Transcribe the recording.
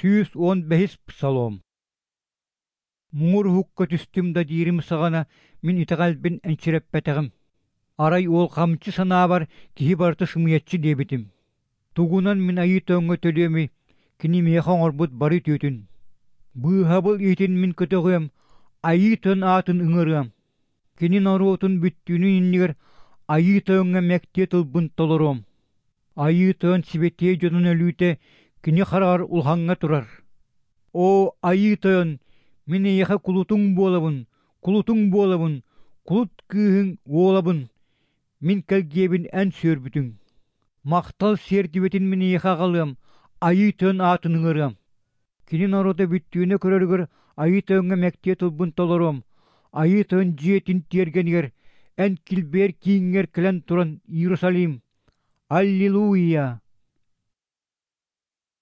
115-ис Псалом. Муҥур уһукка түстүм да диирим саҕана мин итэҕэлбин энчирэппэтэҕим. Арай уолҕамчы санаабар киһи барыта сымыйаччы диэбитим. Тугунан мин Айыы Тойоҥҥо төлүөмүй, кини миэхэ оҥорбут бары үтүөтүн. Быыһабыл иһитин мин көтөҕүөм, Айыы Тойон аатын ыҥырыам. Кини норуотун бүттүүнүн иннигэр Айыы Тойоҥҥо мэктиэ тылбын толоруом. Айыы Тойон сибэтиэй дьонун өлүүтэ кини хараҕар улахаҥҥа турар. Оо, Айыы Тойон, мин эйиэхэ кулутуҥ буолабын, кулутуҥ буолабын, кулут кыыһыҥ уолабын, мин кэлгиэбин эн сүөрбүтүҥ. Махтал сиэртибэтин мин эйиэхэ аҕалыам, Айыы Тойон аатын ыҥырыам. Кини норуота бүттүүнэ көрөрүгэр Айыы Тойоҥҥо мэктиэ тылбын толоруом, Айыы Тойон дьиэтин тиэргэнигэр, эн килбиэр кииҥҥэр кэлэн туран Иерусалим, Аллилуйя!